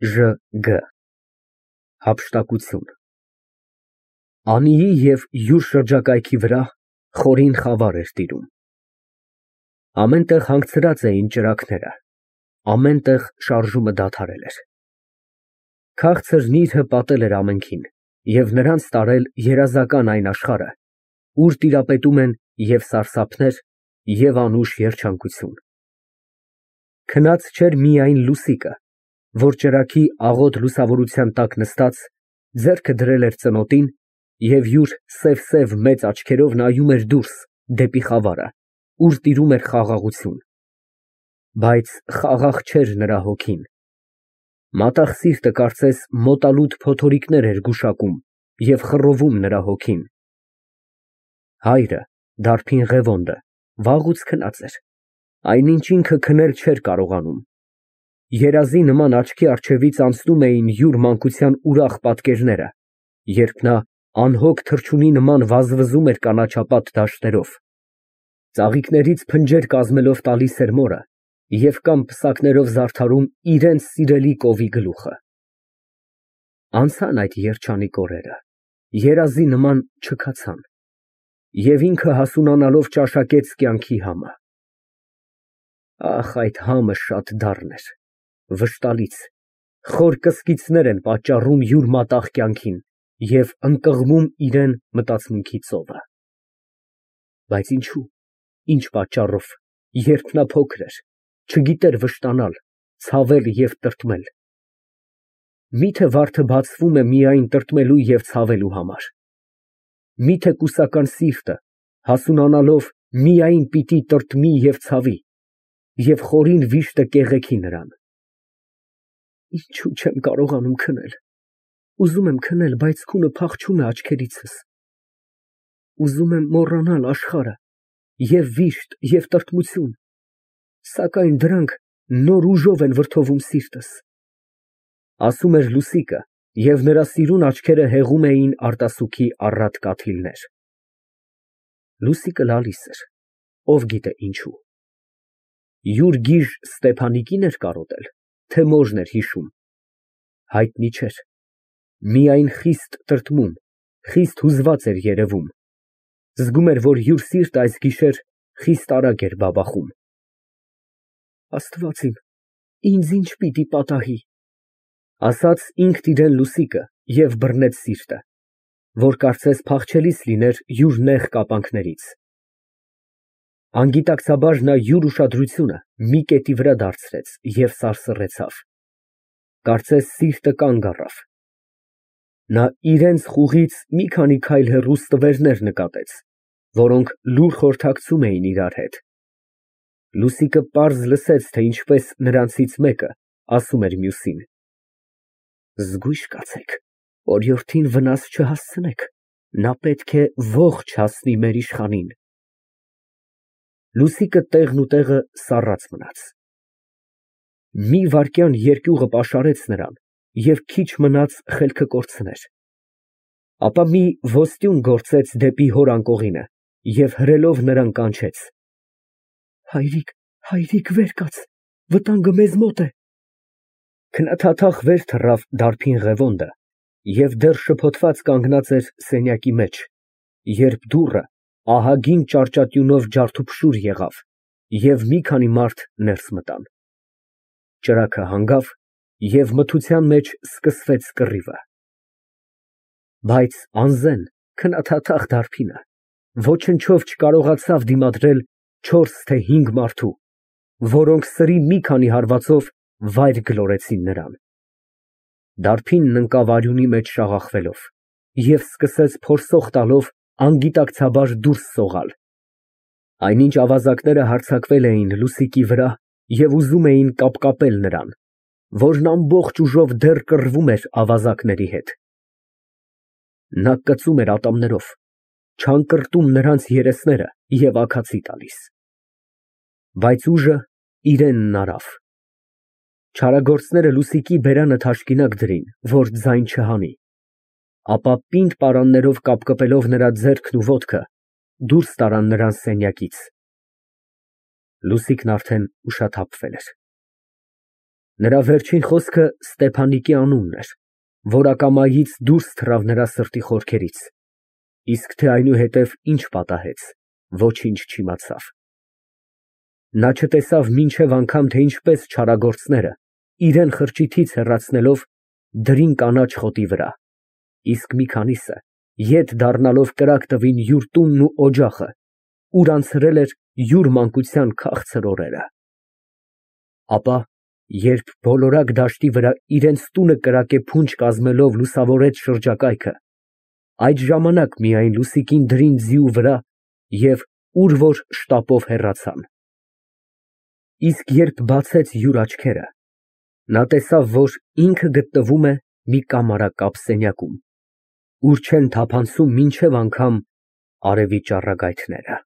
ԺԳ Հափշտակություն Անիի և յուր շրջակայքի վրա խորին խավար էր տիրում։ Ամեն տեղ հանգցրած էին ճրագները, ամեն տեղ շարժումը դադարել էր։ Քաղցր նիրհը պատել էր ամենքին և նրանց տարել երազական այն աշխարհը, ուր տիրապետում են և սարսափներ, և անուշ երջանկություն։ Քնած չէր միայն Լուսիկը, որ ճրագի աղոտ լուսավորության տակ նստած, ձեռքը դրել էր ծնոտին և յուր սև մեծ աչքերով նայում էր դուրս դեպի խավարը, ուր տիրում էր խաղաղություն։ Բայց խաղաղ չէր նրա հոգին։ Մատաղ սիրտը կարծես մոտալուտ փոթորիկներ էր գուշակում և խռովում նրա հոգին։ Հայրը, դարբին Ղևոնդը, վաղուց քնած էր, այնինչ ինքը քնել չէր կարողանում։ Երազի նման աչքի առջևից անցնում էին յուր մանկության ուրախ պատկերները, երբ նա անհոգ թռչունի նման վազվզում էր կանաչապատ դաշտերով, ծաղիկներից փնջեր կազմելով տալիս էր մորը և կամ պսակներով զարդարում իրենց սիրելի կովի գլուխը։ Անցան այդ երջանիկ օրերը, երազի նման չքացան, և ինքը հասունանալով ճաշակեց կյանքի համը։ Ահ, այդ համը շատ դառն էր, վշտալից, խոր կսկիցներ են պատճառում յուր մատաղ կյանքին և ընկղմում իրան մտածմունքի ծովը։ Բայց ինչո՞ւ, ինչ պատճառով, երբ նա փոքր էր, չգիտեր վշտանալ, ցավել և տրտմել։ Մի՞թե վարդը բացվում է միայն տրտմելու և ցավելու համար։ Մի՞թե կուսական սիրտը, հասունանալով, միայն պիտի տրտմի և ցավի, և խորին վիշտը կեղեքի նրան։ Ինչո՞ւ չեմ կարողանում քնել։ Ուզում եմ քնել, բայց քունը փախչում է աչքերիցս։ Ուզում եմ մոռանալ աշխարհը, և վիշտ, և տրտմություն, սակայն դրանք նոր ուժով են վրդովում սիրտս, ասում էր Լուսիկը, և նրա սիրուն աչքերը հեղում էին արտասուքի առատ կաթիլներ։ Լուսիկը լալիս էր, ով գիտե ինչու։ Յուր գիժ Ստեփանիկի՞ն էր կարոտել, թե մոժն էր հիշում, հայտնի չէր, միայն խիստ տրտմում, խիստ հուզված էր երևում, զգում էր, որ յուր սիրտը այս գիշեր խիստ արագ էր բաբախում։ Աստված իմ, ինձ ինչ պիտի պատահի, ասաց ինքն իրան Լուսիկը և բռնեց սիրտը, որ կարծես փախչելիս լիներ յուր նեղ կապանքներից։ Անգիտակցաբար նա յուր ուշադրությունը մի կետի վրա դարձրեց և սարսռեցավ, կարծես սիրտը կանգ առավ։ Նա իրենց խուղից մի քանի քայլ հեռու ստվերներ նկատեց, որոնք լուռ խորհրդակցում էին իրար հետ։ Լուսիկը պարզ լսեց, թե ինչպես նրանցից մեկը ասում էր մյուսին. «Զգույշ կացեք, օրիորդին վնաս չհասցնեք, նա պետք է ողջ հասնի մեր իշխանին»։ Լուսիկը տեղնուտեղը սառած մնաց։ Մի վայրկյան երկյուղը պաշարեց նրան և քիչ մնաց խելքը կորցներ, ապա մի ոստյուն գործեց դեպի հոր անկողինը և հրելով նրան կանչեց. «Հայրիկ, հայրիկ, վեր կաց, վտանգը մեզ մոտ է»։ Քնաթաթախ վեր թռավ դարբին Ղևոնդը և դեռ շփոթված կանգնած էր սենյակի մեջ, երբ դուռը ահագին ճարճատյունով ջարդուփշուր եղավ և մի քանի մարդ ներս մտան։ Ճրագը հանգավ և մթության մեջ սկսվեց կռիվը։ Բայց անզեն քնաթաթախ դարբինը ոչնչով չկարողացավ դիմադրել 4 թե 5 մարդու, որոնք սրի մի քանի հարվածով վայր գլորեցին նրան։ Դարբինն ընկավ արյունի մեջ շաղախվելով և սկսեց փորսող տալով անգիտակցաբար դուրս սողալ։ Այնինչ ավազակները հարձակվել էին Լուսիկի վրա և ուզում էին կապկապել նրան, որն ամբողջ ուժով դեռ կռվում էր ավազակների հետ։ Նա կծում էր ատամներով, չանկրտում նրանց երեսները և աքացի տալիս։ Բայց ուժը իրենն արավ։ Չարագործները Լուսիկի բերանը թաշկինակ դրին, որ ձայն չհանի, ապա պինդ պարաններով կապկպելով նրա ձեռքն ու ոտքը, դուրս տարան նրան սենյակից։ Լուսիկն արդեն ուշաթափվել էր։ Նրա վերջին խոսքը Ստեփանիկի անունն էր, որ ակամայից դուրս թռավ նրա սրտի խորքերից, իսկ թե այնուհետև ինչ պատահեց, ոչինչ չիմացավ։ Նա չտեսավ մինչև անգամ, թե ինչպես չարագործները, իրան խրճիթից հեռացնելով, դրին կանաչ խոտի վրա, իսկ մի քանիսը, ետ դառնալով կրակ տվին յուր տունն ու օջախը, ուր անցրել էր յուր մանկության քաղցր օրերը։ Ապա, երբ բոլորակ դաշտի վրա իրենց տունը կրակե փունջ կազմելով լուսավորեց շրջակայքը, այդ ժամանակ միայն լուսիկին դրին ձիու վրա և ուր որ շտապով հեռացան։ Իսկ երբ բացեց յուր աչքերը, նա տեսավ, որ ինքը գտնվում է մի կամարակապ սենյակում, ուր չեն թափանցում մինչև անգամ արևի ճառագայթները։